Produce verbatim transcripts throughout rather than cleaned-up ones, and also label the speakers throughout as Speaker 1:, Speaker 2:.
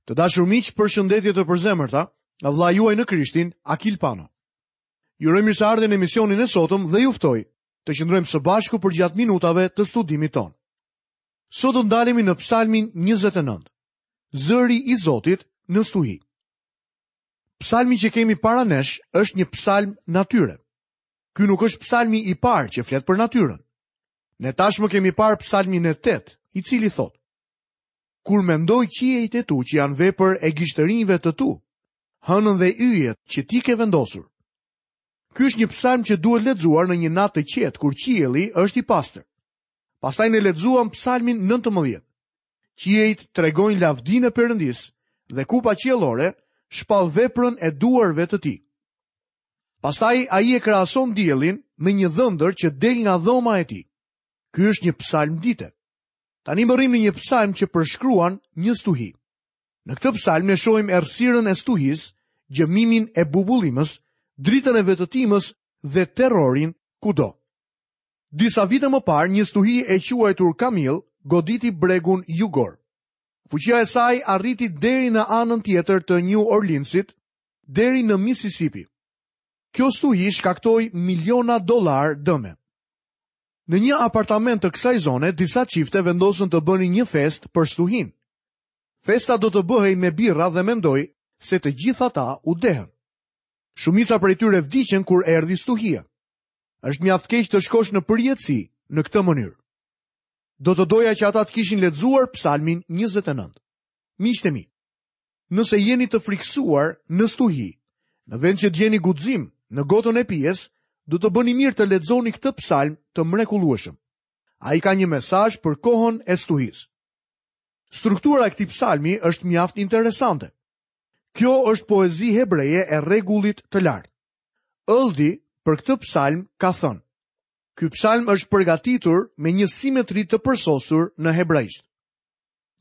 Speaker 1: Të dashur miq, përshëndetje të përzemërta nga vëllai juaj në Krishtin, Akil Pano. Ju uroj mirëseardhjen në emisionin e sotëm dhe ju ftoj të qëndrojmë së bashku përgjatë minutave të studimit tonë. Sot do ndalemi në Psalmin njëzet e nëntë. Zëri i Zotit në stuhi. Psalmi që kemi para nesh është një psalm natyre. Ky nuk është psalmi i parë që flet për natyrën. Ne tashmë kemi parë psalmin e tetë, i cili thotë: Kur mendoj qiejt e tu që janë vepër e gishtërinjve të tu, hënën dhe yjet që ti ke vendosur. Ky është një psalm që duhet lexuar në një natë të qetë kur qielli është i pastër. Pastaj ne lexuam psalmin nëntëmbëdhjetë. Qiejt tregojnë lavdinë e Perëndisë dhe kupa qiellore shpall veprën e duarve të tij. Pastaj ai e krahason diellin me një dhëndër që del nga dhoma e tij. Ky është një psalm dite. Tani mbërrim në një psalm që përshkruan një stuhi. Në këtë psalm ne shohim errësirën e stuhisë, gjëmimin e bubullimës, dritën e vetëtimës dhe terrorin kudo. Disa vite më parë, një stuhi e quajtur Kamil goditi bregun jugor. Fuqia e saj arriti deri në anën tjetër të New Orleansit, deri në Mississippi. Kjo stuhi shkaktoi miliona dollar dëme. Në një apartament të kësaj zone, disa çifte vendosën të bënin një festë për stuhin. Festa do të bëhej me birra dhe mendoj se të gjithë ata u dehën. Shumica prej tyre vdiqën kur erdhi stuhia. Është mjaft keq të shkosh në përjetësi në këtë mënyrë. Do të doja që ata të kishin lexuar Psalmin njëzet e nëntë. Miqtë e mi, nëse jeni të friksuar në stuhi, në vend që të gjeni guxim në gotën e pijes, do të bëni mirë të lexoni këtë psalm të mrekullueshëm. Ai ka një mesazh për kohën e stuhisë. Struktura e këtij psalmi është mjaft interesante. Kjo është poezi hebreje e rregullit të lartë. Ëldi për këtë psalm ka thënë: Ky psalm është përgatitur me një simetri të përsosur në hebraisht.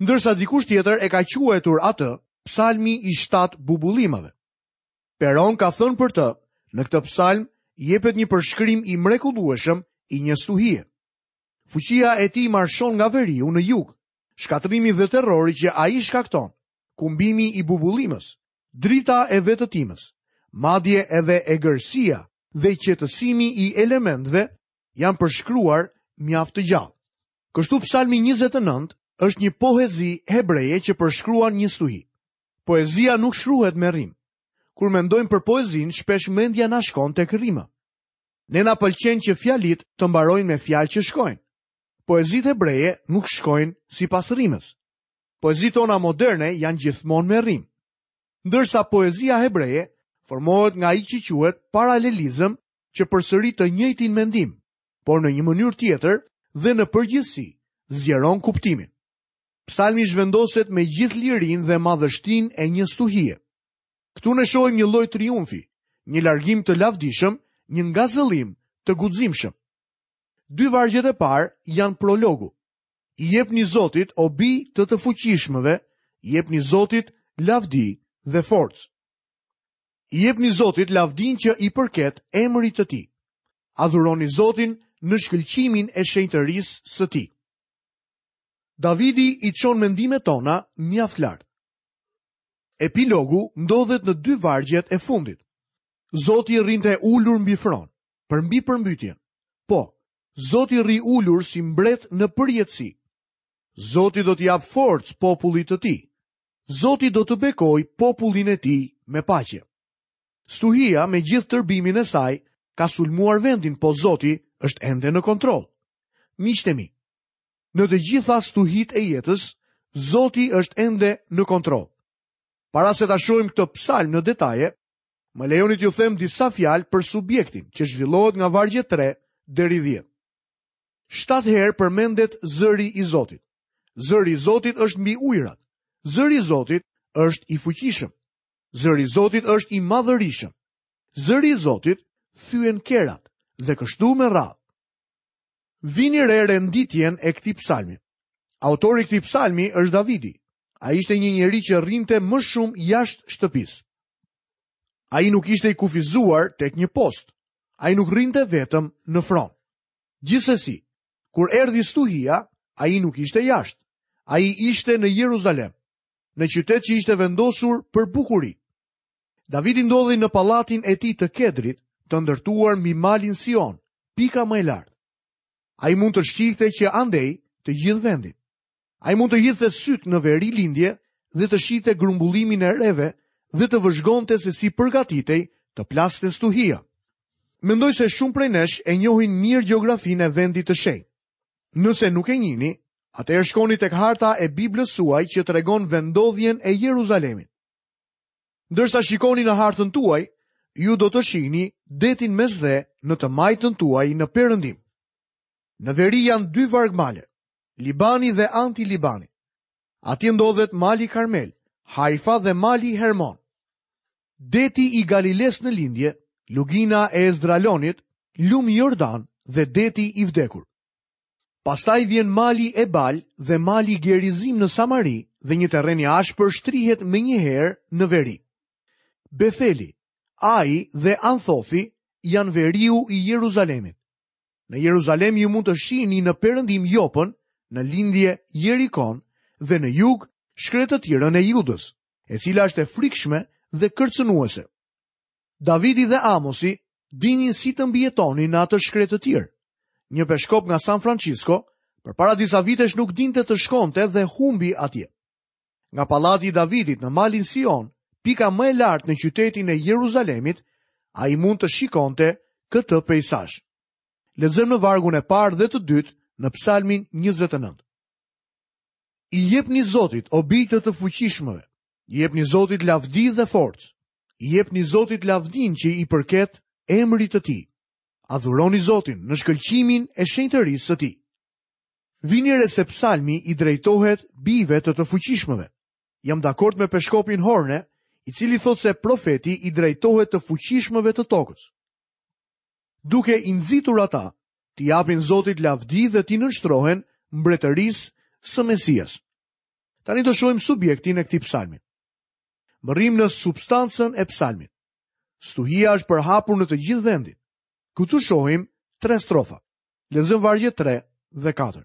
Speaker 1: Ndërsa dikush tjetër e ka quajtur atë psalmi i shtatë bubullimave. Peron ka thënë për të, në këtë psalm jepet një përshkrim i mrekullueshëm i një stuhie. Fuqia e tij marshon nga veriu në jug, shkatërrimi dhe terrori që ai shkakton, kumbimi i bubullimës, drita e vetëtimës, madje edhe egërsia dhe qetësimi i elementëve janë përshkruar mjaft të gjallë. Kështu psalmi njëzet e nëntë është një poezi hebreje që përshkruan një stuhi. Poezia nuk shkruhet me rimë. Kur mendojmë për poezinë, shpesh mendja na shkon tek rima. Ne na pëlqen që fjalit të mbarojnë me fjalë që shkojnë. Poezitë hebreje nuk shkojnë sipas rimës. Poezitë tona moderne janë gjithmonë me rimë. Ndërsa poezia hebreje formohet nga ai që quhet paralelizëm, që përsërit të njëjtin mendim, por në një mënyrë tjetër dhe në përgjithësi zgjeron kuptimin. Psalmi zhvendoset me gjithë lirinë dhe madhështinë e një stuhie. Këtu ne shohim një lloj triumfi, një largim të lavdishëm, një ngazëllim të guximshëm. Dy vargjet e parë janë prologu. I jepni Zotit o bij të të fuqishmëve, i jepni Zotit lavdi dhe forcë. I jepni Zotit lavdin që i përket emrit të tij. Adhuroni Zotin në shkëlqimin e shenjtërisë së tij. Davidi i çon mendimet tona mjaft lart. Epilogu ndodhet në dy vargjet e fundit. Zoti rrinte ulur mbi fron, përmbi përmbytjen. Po, Zoti rri ulur si mbret në përjetësi. Zoti do t'i japë forcë popullit të tij. Zoti do të bekojë popullin e tij me paqe. Stuhia me gjithë tërbimin e saj ka sulmuar vendin, po Zoti është ende në kontroll. Miqtë e mi, në të gjitha stuhitë e jetës, Zoti është ende në kontroll. Para se ta shohim këtë psalm në detaje, më lejoni t'ju them disa fjalë për subjektin që zhvillohet nga vargjet tre deri dhjetë. Shtatë herë përmendet zëri i Zotit. Zëri i Zotit është mbi ujërat. Zëri i Zotit është i fuqishëm. Zëri i Zotit është i madhërishëm. Zëri i Zotit thyen kerat dhe kështu me radhë. Vini re renditjen e këtij psalmi. Autori i këtij psalmi është Davidi. Ai ishte një njeri që rrinte më shumë jashtë shtëpisë. Ai nuk ishte i kufizuar tek një post. Ai nuk rrinte vetëm në fron. Gjithsesi, kur erdhi stuhia, ai nuk ishte jashtë. Ai ishte në Jeruzalem. në qytet që ishte vendosur për bukuri. Davidi ndodhej në pallatin e tij të Kedrit, të ndërtuar mbi malin Sion, pika më e lartë. Ai mund të shihte që andej të gjithë vendin. Ai mund të hidhte syt në veri lindje dhe të shihte grumbullimin e reve dhe të vëzhgonte se si përgatitej të plaste stuhia. Mendoj se shumë prej nesh e njohin mirë gjeografinë e vendit të shenjtë. Nëse nuk e njihni, atëherë shkoni tek harta e Biblës suaj që tregon vendodhjen e Jeruzalemit. Ndërsa shikoni në hartën tuaj, ju do të shihni detin Mesdhe në të majtën tuaj në perëndim. Në veri janë dy vargmale, Libani dhe Anti-Libani. Atje ndodhet mali Karmel, Haifa dhe mali Hermon. Deti i Galiles në lindje, lugina e Ezdralonit, lumi Jordan dhe deti i vdekur. Pastaj vjen mali Ebal dhe mali Gerizim në Samari dhe një terren i ashpër shtrihet menjëherë në veri. Betheli, Ai dhe Anthothi janë veriu i Jeruzalemit. Në Jeruzalem ju mund të shihni në perëndim Jopën, në lindje Jerikon dhe në jug shkretëtirën e Judës, e cila është e frikshme dhe kërcënuese. Davidi dhe Amosi dinin si të mbijetonin në atë shkretëtirë. Një peshkop nga San Francisco, përpara disa vitesh nuk dinte të shkonte dhe humbi atje. Nga pallati i Davidit në malin Sion, pika më e lartë në qytetin e Jeruzalemit, ai mund të shikonte këtë peizazh. Lexojmë në vargun e parë dhe të dytë në Psalmin njëzet e nëntë. I jepni Zotit o bijë të fuqishmëve, i jepni Zotit lavdi dhe forcë, i jepni Zotit lavdin që i përket emrit të tij. Adhuroni Zotin në shkëlqimin e shenjtërisë së tij. Vini re se psalmi i drejtohet bijve të të fuqishmëve. Jam dakord me peshkopin Horne, i cili thotë se profeti i drejtohet të fuqishmëve të tokës, duke i nxitur ata t'i japin Zotit lavdi dhe t'i nënshtrohen mbretërisë së Mesias. Tani do shohim subjektin e këtij psalmi. Mbërrim në substancën e psalmit. Stuhia është përhapur në të gjithë vendin. Këtu shohim tre strofa. Lexojmë vargjet tre dhe katër.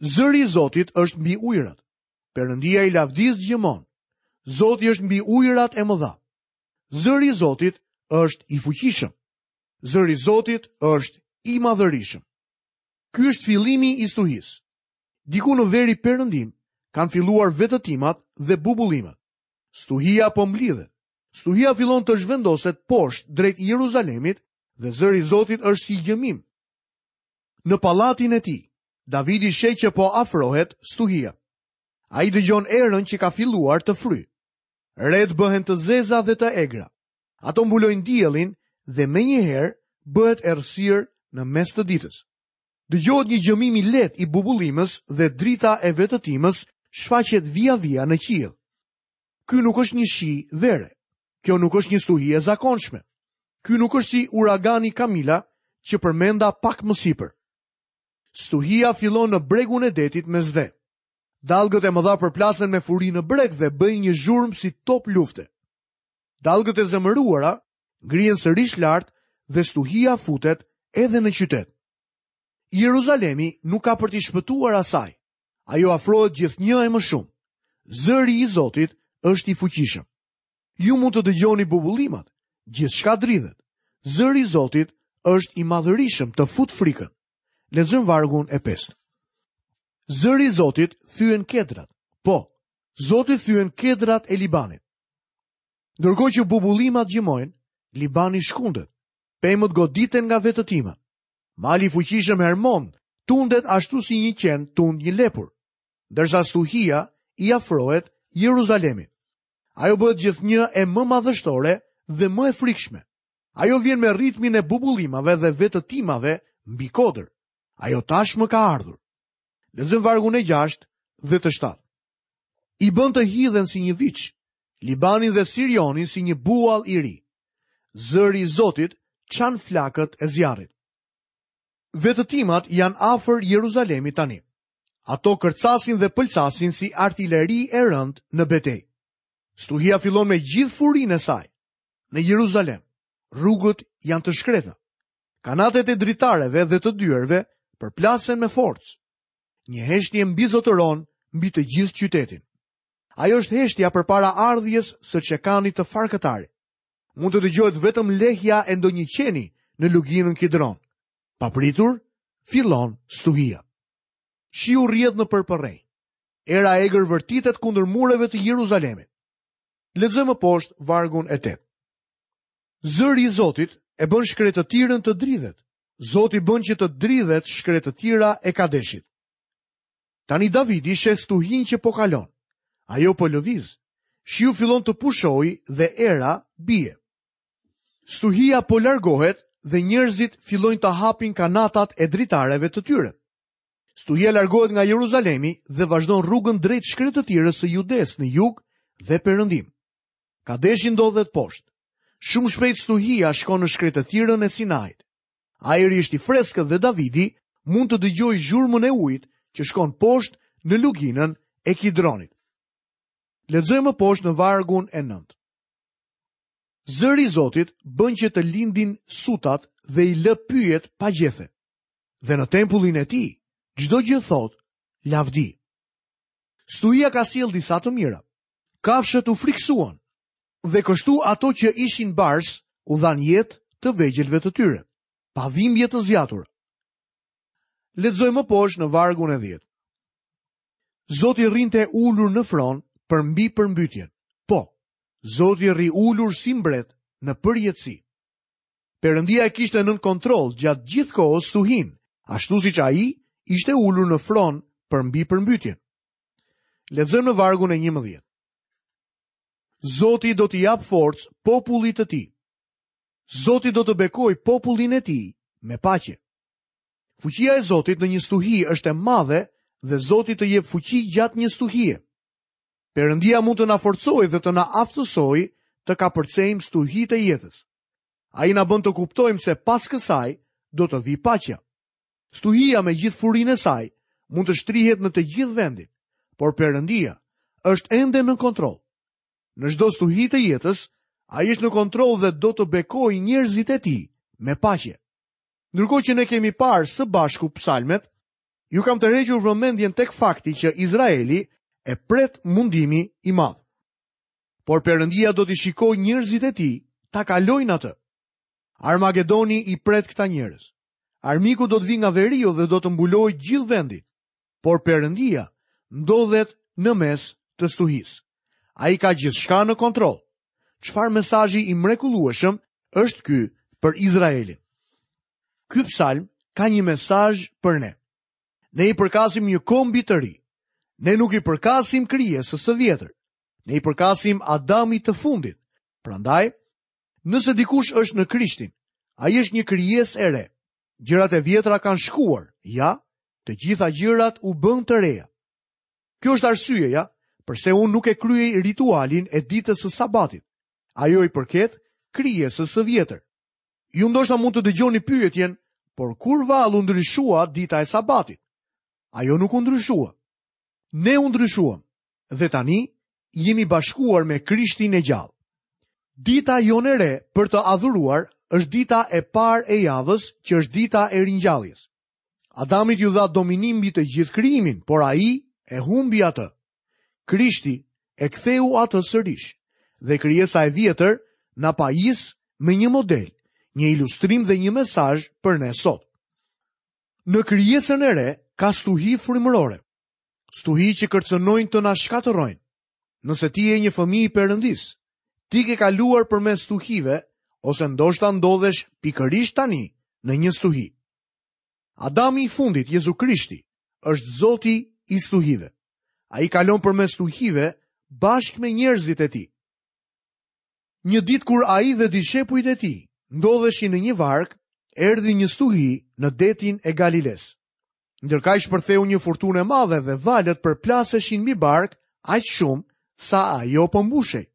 Speaker 1: Zëri i Zotit është mbi ujërat. Perëndia i lavdisë gjëmon. Zoti është mbi ujërat e mëdha. Zëri i Zotit është i fuqishëm. Zëri i Zotit është i madhërishëm. Ky është fillimi i stuhisë. Diku në veri perëndim kanë filluar vetëtimat dhe bubullimet. Stuhia po mblidhet. Stuhia fillon të zhvendoset poshtë drejt Jeruzalemit dhe zëri i Zotit është si gjëmim. Në pallatin e tij, Davidi sheh që po afrohet stuhia. Ai dëgjon erën që ka filluar të fryjë. Ret bëhen të zeza dhe të egra. Ato mbulojnë diellin dhe menjëherë bëhet errësirë në mes të ditës. Dëgjohet një gjëmim i lehtë i bubullimës dhe drita e vetëtimës shfaqet vija-vija në qiell. Ky nuk është një shi vere. Kjo nuk është një stuhi e zakonshme. Ky nuk është si uragani Kamila që përmenda pak më sipër. Stuhia fillon në bregun e detit Mesdhe. Dallgët e mëdha përplasen me furi në breg dhe bëjnë një zhurmë si top lufte. Dallgët e zemëruara ngrihen sërish lart dhe stuhia futet edhe në qytet. Jeruzalemi nuk ka për t'i shpëtuar asaj. Ajo afrohet gjithnjë e më shumë. Zëri i Zotit është i fuqishëm. Ju mund të dëgjoni bubullimat, gjithçka dridhet. Zëri i Zotit është i madhërishëm, të fut frikën. Lexojmë vargun e pestë. Zëri i Zotit thyen kedrat. Po, Zoti thyen kedrat e Libanit. Ndërkohë që bubullimat gjëmojnë, Libani shkundet. Pemët goditen nga vetëtima. Mali i fuqishëm Hermon tundet ashtu si një qen tund një lepur, ndërsa stuhia i afrohet Jeruzalemit. Ajo bëhet gjithnjë e më madhështore dhe më e frikshme. Ajo vjen me ritmin e bubullimave dhe vetëtimave mbi kodër. Ajo tashmë ka ardhur. Lexojmë vargun e gjashtë dhe të shtatë. I bën të hidhen si një viç, Libanin dhe Sirionin si një buall i ri. Zëri i Zotit çan flakët e zjarrit. Vetëtimat janë afër Jeruzalemit tani. Ato kërcasin dhe pëlcasin si artileri e rëndë në betejë. Stuhia fillon me gjithë furinë e saj. Në Jeruzalem, rrugët janë të shkreta. Kanatet e dritareve dhe të dyerve përplasen me forcë. Një heshtje mbizotëron mbi të gjithë qytetin. Ajo është heshtja përpara ardhjes së çekanit të farkëtarit. Mund të dëgjohet vetëm lehja e ndonjë qeni në luginën Kidron. Papritur, fillon stuhia. Shiu rrjedh nëpër përrenj. Era e egër vërtitet kundër mureve të Jeruzalemit. Lexojmë më poshtë vargun e tetë. Zëri i Zotit e bën shkretëtirën të dridhet. Zoti bën që të dridhet shkretëtira e Kadeshit. Tani Davidi sheh stuhinë që po kalon. Ajo po lëviz. Shiu fillon të pushojë dhe era bie. Stuhia po largohet dhe njerëzit fillojnë të hapin kanatat e dritareve të tyre. Stuhia largohet nga Jeruzalemi dhe vazhdon rrugën drejt shkretëtirës së Judes në jug dhe perëndim. Kadeshi ndodhet poshtë. Shumë shpejt stuhia shkon në shkretëtirën e Sinait. Ajri është i freskët dhe Davidi mund të dëgjojë zhurmën e ujit që shkon poshtë në luginën e Kidronit. Lexojmë më poshtë në vargun e nëntë. Zëri i Zotit bën që të lindin sutat dhe i lë pyjet pa gjethe. Dhe në tempullin e tij, çdo gjë thotë lavdi. Stuhia ka sjellë disa të mira. Kafshët u friksuan dhe kështu ato që ishin bars u dhanë jetë të vegjëlve të tyre, pa dhimbje të zgjatura. Lexojmë më poshtë në vargun e dhjetë. Zoti rrinte ulur në fron përmbi përmbytjen. Po, Zoti rri ulur si mbret në përjetësi. Perëndia e kishte nën kontroll gjatë gjithë kohës stuhinë, ashtu siç ai ishte ulur në fron përmbi përmbytjen. Lexojmë në vargun e njëmbëdhjetë. Zoti do t'i japë forcë popullit të tij. Zoti do të bekojë popullin e tij me paqe. Fuqia e Zotit në një stuhi është e madhe dhe Zoti të jep fuqi gjatë një stuhie. Perëndia mund të na forcojë dhe të na aftësojë të kapërcejmë stuhitë e jetës. Ai na bën të kuptojmë se pas kësaj do të vijë paqja. Stuhia me gjithë furinë e saj mund të shtrihet në të gjithë vendin, por Perëndia është ende në kontroll. Në çdo stuhi të jetës, ai është në kontroll dhe do të bekojë njerëzit e tij me paqe. Ndërkohë që ne kemi parë së bashku psalmet, ju kam tërhequr vëmendjen tek fakti që Izraeli e pret mundimi i madh. Por Perëndia do t'i shikojë njerëzit e tij ta kalojnë atë. Armagedoni i pret këta njerëz. Armiku do të vijë nga veriu dhe do të mbulojë gjithë vendin. Por Perëndia ndodhet në mes të stuhisë. Ai ka gjithçka në kontroll. Çfarë mesazhi i mrekullueshëm është ky për Izraelin? Ky psalm ka një mesazh për ne. Ne i përkasim një kombi të ri. Ne nuk i përkasim krijesës së vjetër. Ne i përkasim Adamit të fundit. Prandaj, nëse dikush është në Krishtin, ai është një krijesë e re. Gjërat e vjetra kanë shkuar, ja, të gjitha gjërat u bën të reja. Kjo është arsyeja përse unë nuk e kryej ritualin e ditës së sabatit. Ajo i përket krijesës së vjetër. Ju ndoshta mund të dëgjoni pyetjen, por kur vallë u ndryshua dita e sabatit? Ajo nuk u ndryshua. Ne u ndryshuam dhe tani jemi bashkuar me Krishtin e gjallë. Dita jonë e re për të adhuruar është dita e parë e javës, që është dita e ringjalljes. Adamit ju dha dominim mbi të gjithë krijimin, por ai e humbi atë. Krishti e ktheu atë sërish dhe krijesa e vjetër na pajis me një model, një ilustrim dhe një mesazh për ne sot. Në krijesën e re ka stuhi frymërore, stuhi që kërcënojnë të na shkatërrojnë. Nëse ti je një fëmijë i Perëndisë, ti ke kaluar përmes stuhive ose ndoshta ndodhesh pikërisht tani në një stuhi. Adami i fundit, Jezu Krishti, është Zoti i stuhive. Ai kalon përmes stuhive bashkë me njerëzit e tij. Një ditë kur ai dhe dishepujt e tij ndodheshin në një varkë, erdhi një stuhi në detin e Galiles. Ndërkaq shpërtheu një furtunë e madhe dhe valët përplaseshin mbi barkë aq shumë sa ajo po mbushej.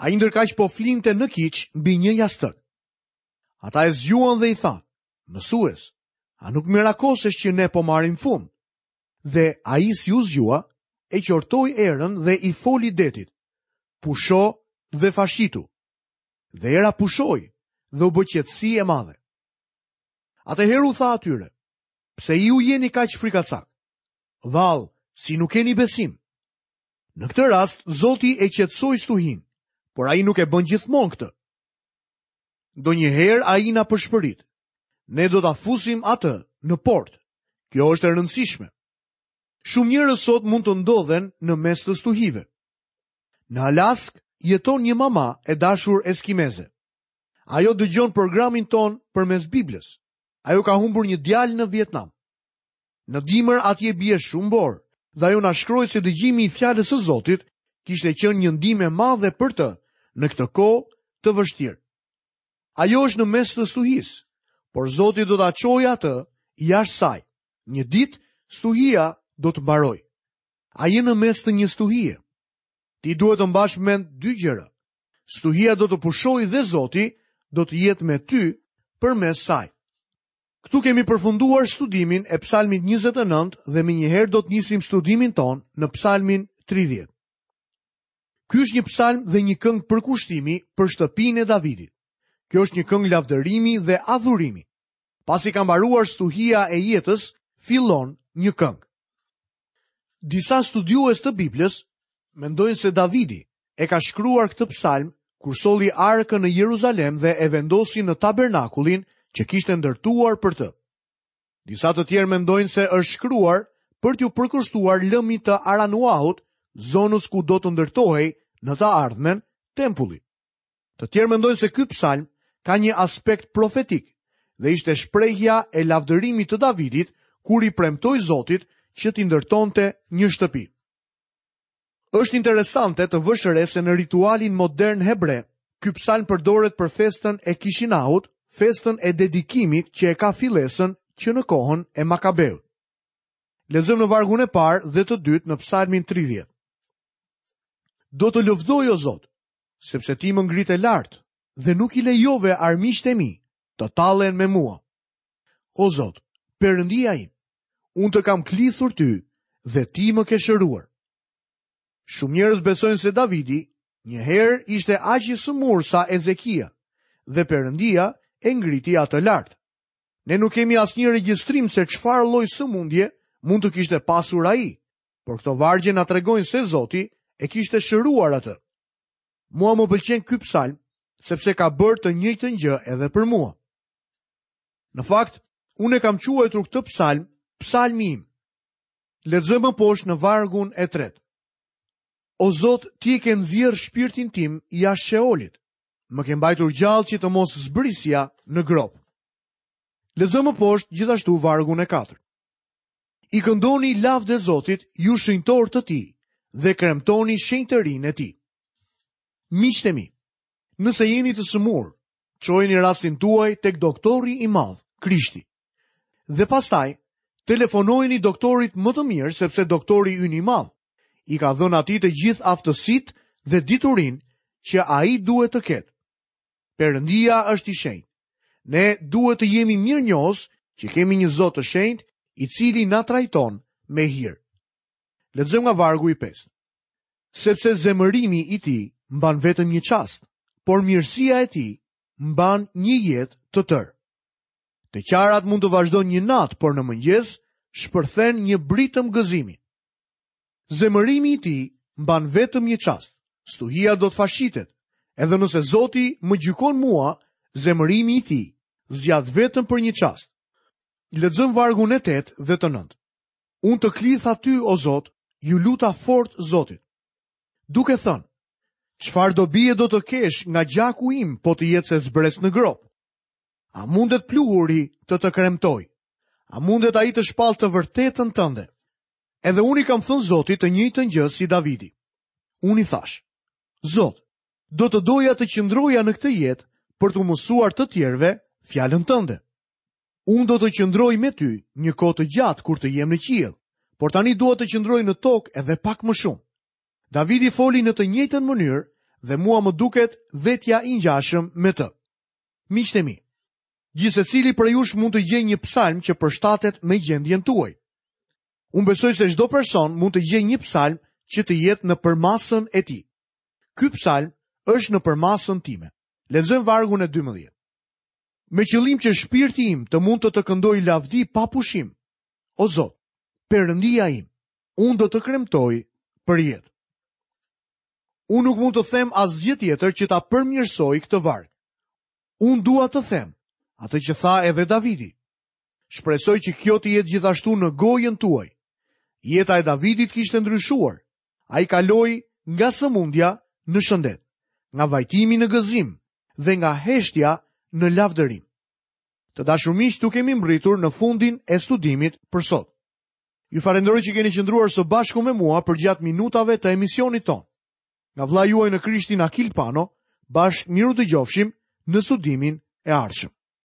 Speaker 1: Ai ndërkaq po flinte në kiç mbi një jastëk. Ata e zgjuan dhe i thanë: "Mësues, a nuk mirakosesh që ne po marrim fund?" Dhe ai si u zgjua, e qortoi erën dhe i foli detit: "Pusho dhe fashitu." Dhe era pushoi dhe u bë qetësi e madhe. Atëherë u tha atyre: "Pse ju jeni kaq frikacak? Vallë, si nuk keni besim?" Në këtë rast, Zoti e qetësoi stuhinë, por ai nuk e bën gjithmonë këtë. Ndonjëherë ai na pëshpërit. Ne do ta fusim atë në port. Kjo është e rëndësishme. Shumë njerëz sot mund të ndodhen në mes të stuhive. Në Alaskë jeton një mama e dashur eskimeze. Ajo dëgjon programin tonë përmes Biblës. Ajo ka humbur një djalë në Vietnam. Në dimër atje bie shumë borë, dhe ajo na shkroi se dëgjimi i fjalës së Zotit kishte qenë një ndihmë e madhe për të në këtë kohë të vështirë. Ajo është në mes të stuhisë, por Zoti do ta çojë atë jashtë saj. Një ditë stuhia do të mbarojë. A je në mes të një stuhie? Ti duhet të mbash mend dy gjëra. Stuhia do të pushojë dhe Zoti do të jetë me ty përmes saj. Këtu kemi përfunduar studimin e Psalmit njëzet e nëntë dhe menjëherë do të nisim studimin tonë në Psalmin tridhjetë. Ky është një psalm dhe një këngë përkushtimi për shtëpinë e Davidit. Kjo është një këngë lavdërimi dhe adhurimi. Pasi ka mbaruar stuhia e jetës, fillon një këngë. Disa studiues të Biblës mendojnë se Davidi e ka shkruar këtë psalm kur solli arkën në Jeruzalem dhe e vendosi në tabernakullin që kishte ndërtuar për të. Disa të tjerë mendojnë se është shkruar për t'ju përkushtuar lëmit të Aranuahut, zonës ku do të ndërtohej në të ardhmen tempulli. Të tjerë mendojnë se ky psalm ka një aspekt profetik dhe ishte shprehja e lavdërimit të Davidit kur i premtoi Zotit që t'i ndërtonte një shtëpi. Është interesante të vësh re se në ritualin modern hebre, ky psalm përdoret për festën e Kishinahut, festën e dedikimit që e ka fillesën që në kohën e Makabeut. Lexojmë në vargun e parë dhe të dytë në psalmin tridhjetë. Do të lëvdoj, o Zot, sepse ti më ngrite lart dhe nuk i lejove armiqtë e mi të tallen me mua. O Zot, Perëndia im, unë të kam klithur ty dhe ti më ke shëruar. Shumë njerëz besojnë se Davidi një herë ishte aq i sëmurë sa Ezekia dhe Perëndia e ngriti atë lart. Ne nuk kemi asnjë regjistrim se çfarë lloj sëmundje mund të kishte pasur ai, por këto vargje na tregojnë se Zoti e kishte shëruar atë. Mua më pëlqen ky psalm sepse ka bërë të njëjtën gjë edhe për mua. Në fakt, unë e kam quajtur këtë psalm psalmi im. Lexojmë më poshtë në vargun e tretë. O Zot, ti e ke nxjerrë shpirtin tim jashtë Sheolit. Më ke mbajtur gjallë që të mos zbrisja në gropë. Lexojmë më poshtë gjithashtu vargun e katërt. I këndoni lavde Zotit, ju shenjtor të tij, dhe kremtoni shenjtërinë e tij. Miqtë e mi, nëse jeni të sëmurë, çojeni rastin tuaj tek doktori i madh, Krishti. Dhe pastaj, telefonojeni doktorit më të mirë, sepse doktori ynë i madh i ka dhënë atij të gjithë aftësitë dhe diturinë që ai duhet të ketë. Perëndia është i shenjtë. Ne duhet të jemi mirënjohës që kemi një Zot të shenjtë, i cili na trajton me hir. Lexojmë nga vargu i pestë. Sepse zemërimi i tij mban vetëm një çast, por mirësia e tij mban një jetë të tërë. Të qarat mund të vazhdojnë një natë, por në mëngjes shpërthen një britëm gëzimi. Zemërimi i tij mban vetëm një çast. Stuhia do të fashitet. Edhe nëse Zoti më gjykon mua, zemërimi i tij zgjat vetëm për një çast. Lexojmë vargun e tetë dhe të nëntë. Unë të klith aty, o Zot, ju luta fort Zotit. Duke thënë, çfarë dobie do të kesh nga gjaku im, po të jetë se zbres në gropë? A mundet pluhuri të të kremtoj? A mundet ai të shpall të vërtetën tënde? Edhe unë i kam thënë Zotit të njëjtën gjë si Davidi. Unë i thash, Zot, do të doja të qëndroja në këtë jetë për t'u mësuar të tjerëve fjalën tënde. Unë do të qëndroj me ty një kohë të gjatë kur të jem në qiell, por tani dua të qëndroj në tokë edhe pak më shumë. Davidi foli në të njëjtën mënyrë dhe mua më duket vetja i ngjashëm me të. Miqtë e mi, gjithsecili prej jush mund të gjejë një psalm që përshtatet me gjendjen tuaj. Unë besoj se çdo person mund të gjejë një psalm që të jetë në përmasën e tij. Ky psalm është në përmasën time. Lexojmë vargun e dymbëdhjetë. Me qëllim që shpirti im të mund të të këndoj lavdi pa pushim. O Zot, Perëndia im, unë do të kremtoj për jetë. Unë nuk mund të them asgjë tjetër që ta përmirësoj këtë varg. Unë dua të them atë që tha edhe Davidi. Shpresoj që kjo të jetë gjithashtu në gojën tuaj. Jeta e Davidit kishte ndryshuar. Ai kaloi nga sëmundja në shëndet, nga vajtimi në gëzim dhe nga heshtja në lavdërim. Të dashur miq, këtu kemi mbërritur në fundin e studimit për sot. Ju falenderoj që keni qëndruar së bashku me mua përgjatë minutave të emisionit tonë. Nga vëllai juaj në Krishtin Akil Pano, bashkë mirudëgjofshim në studimin e ardhshëm.